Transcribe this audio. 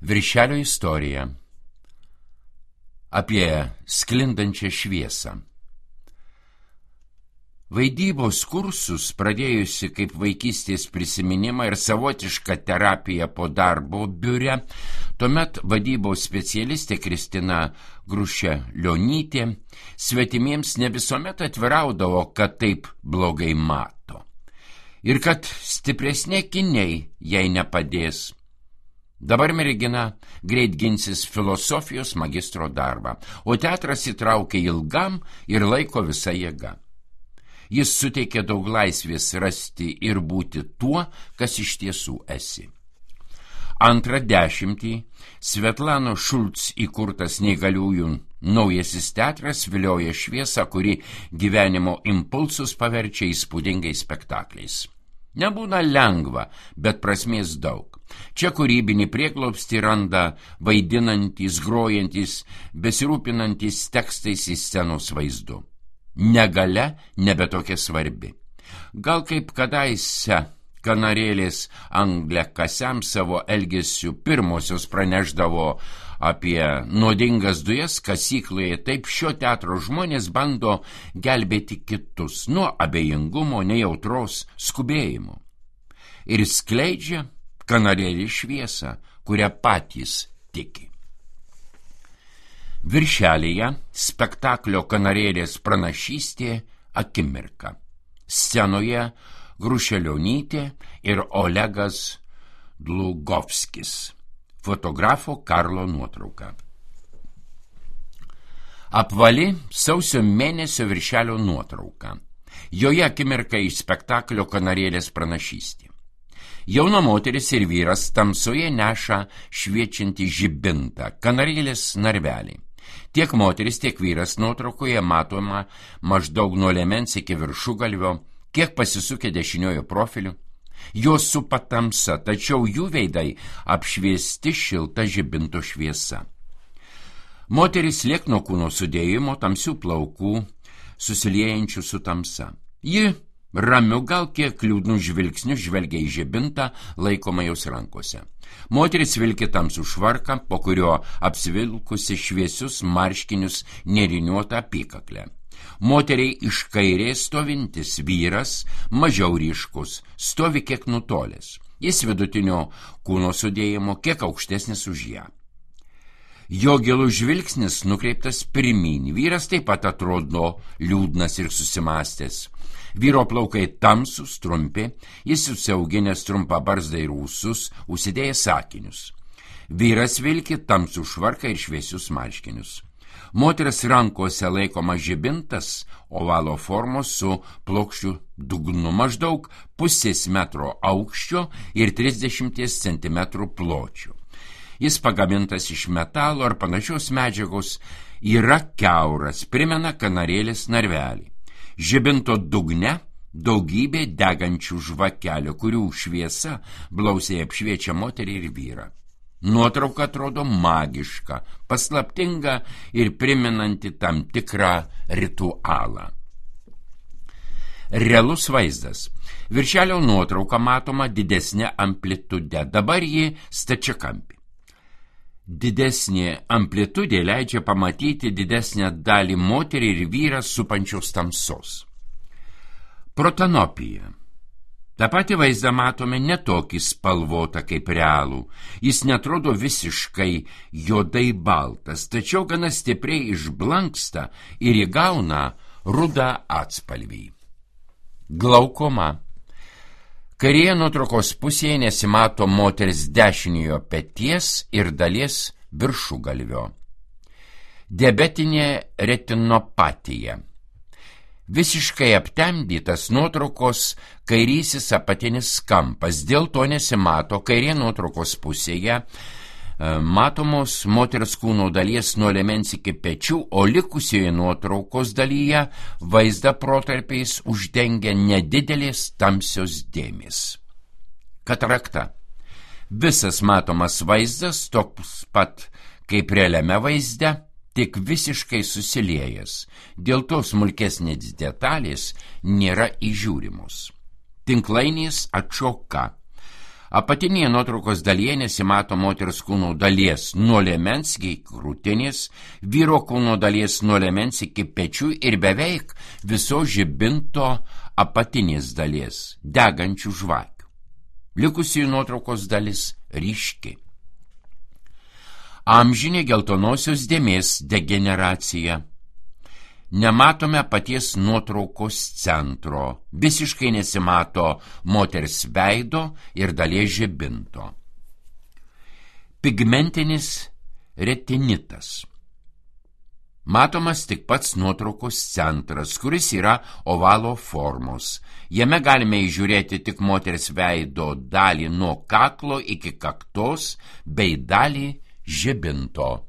Viršelio istorija apie sklindančią šviesą. Vaidybos kursus, pradėjusi kaip vaikystės prisiminimą ir savotišką terapiją po darbo biure, tuomet vadybos specialistė Kristina Grušelionytė svetimiems ne visuomet atviraudavo, kad taip blogai mato ir kad stipresni akiniai jai nepadės. Dabar mergina greit ginsis filosofijos magistro darbą, o teatras įtraukė ilgam ir laiko visa jėga. Jis suteikė daug laisvės rasti ir būti tuo, kas iš tiesų esi. Antrą dešimtį Svetlano Šulc įkurtas neįgaliųjų naujasis teatras vilioja šviesą, kuri gyvenimo impulsus paverčia įspūdingais spektakliais. Nebūna lengva, bet prasmės daug. Čia kūrybinį prieglobstį randa vaidinantys, grojantys, besirūpinantys tekstais į scenos vaizdu. Negalia nebe tokia svarbi. Gal kaip kadaise kanarėlės angliakasiams savo elgesiu pirmosios pranešdavo apie nuodingas dujas kasykloje, taip šio teatro žmonės bando gelbėti kitus nuo abejingumo, nejautros, skubėjimo. Ir skleidžia kanarėlį šviesą, kurią patys tiki. Viršelyje spektaklio Kanarėlės pranašystė akimirka. Scenoje Grušelionytė ir Olegas Dlugovskis. Fotografo Karlo nuotrauka. Apvali sausio mėnesio viršelio nuotrauka. Joje akimirka iš spektaklio Kanarėlės pranašystė. Jauna moteris ir vyras tamsoje neša šviečiantį žibintą, kanarėlės narvelį. Tiek moteris, tiek vyras nuotraukoje matoma maždaug nuo liemens iki viršugalvio, kiek pasisukę dešiniojo profiliu. Jos supa tamsa, tačiau jų veidai apšviesti šilta žibinto šviesa. Moteris liekno kūno sudėjimo, tamsių plaukų, susiliejančių su tamsa. Ji ramiu, gal kiek liūdnų žvilgsnių žvelgia į žibintą, laikoma jos rankose. Moteris vilki tamsų švarką, po kurio apsivilkusi šviesius marškinius nėriniuotą apykaklę. Moteriai iš kairės stovintis vyras, mažiau ryškus, stovi kiek nutolęs. Jis vidutinio kūno sudėjimo, kiek aukštesnis už ją. Jo gilus žvilgsnis nukreiptas pirmyn. Vyras taip pat atrodo liūdnas ir susimąstęs. Vyro plaukai tamsus, trumpi, jis susiauginęs trumpą barzdą ir ūsus, užsidėjęs akinius. Vyras vilki tamsų švarką ir šviesius marškinius. Moteris rankose laikoma žibintas, ovalo formos su plokščiu dugnu, maždaug 0,5 metro aukščio ir 30 cm pločio. Jis pagamintas iš metalo ar panašios medžiagos, yra kiauras, primena kanarėlės narvelį. Žibinto dugne daugybė degančių žvakelių, kurių šviesa blausiai apšviečia moterį ir vyrą. Nuotrauka atrodo magiška, paslaptinga ir primenanti tam tikrą ritualą. Realus vaizdas. Viršelio nuotrauka matoma didesnė amplitude, dabar ji stačiakampė. Didesnė amplitudė leidžia pamatyti didesnę dalį moterį ir vyrą supančios tamsos. Protanopija. Ta pati vaizdą matome netokį spalvotą kaip realų. Jis netrodo visiškai juodai baltas, tačiau gana stipriai išblanksta ir įgauna rudą atspalvį. Glaukoma. Kairėje nuotraukos pusėje nesimato moters dešiniojo peties ir dalies viršugalvio. Diabetinė retinopatija. Visiškai aptemdytas nuotraukos kairysis apatinis kampas, dėl to nesimato kairėje nuotraukos pusėje matomos moters kūno dalies nuo liemens iki pečių, o likusioje nuotraukos dalyje vaizdą protarpiais uždengia nedidelės tamsios dėmės. Katarakta. Visas matomas vaizdas toks pat kaip realiame vaizde, tik visiškai susiliejęs. Dėl to smulkesnės detalės nėra įžiūrimos. Tinklainės atšoka. Apatinėje nuotraukos dalyje nesimato moters kūno dalies nuo liemens iki krūtinės, vyro kūno dalies nuo liemens iki pečių ir beveik viso žibinto apatinės dalies, degančių žvakių. Likusi nuotraukos dalis ryški. Amžinė geltonosios dėmės degeneracija. Nematome paties nuotraukos centro, visiškai nesimato moters veido ir dalies žibinto. Pigmentinis retinitas. Matomas tik pats nuotraukos centras, kuris yra ovalo formos. Jame galime įžiūrėti tik moters veido dalį nuo kaklo iki kaktos bei dalį žibinto.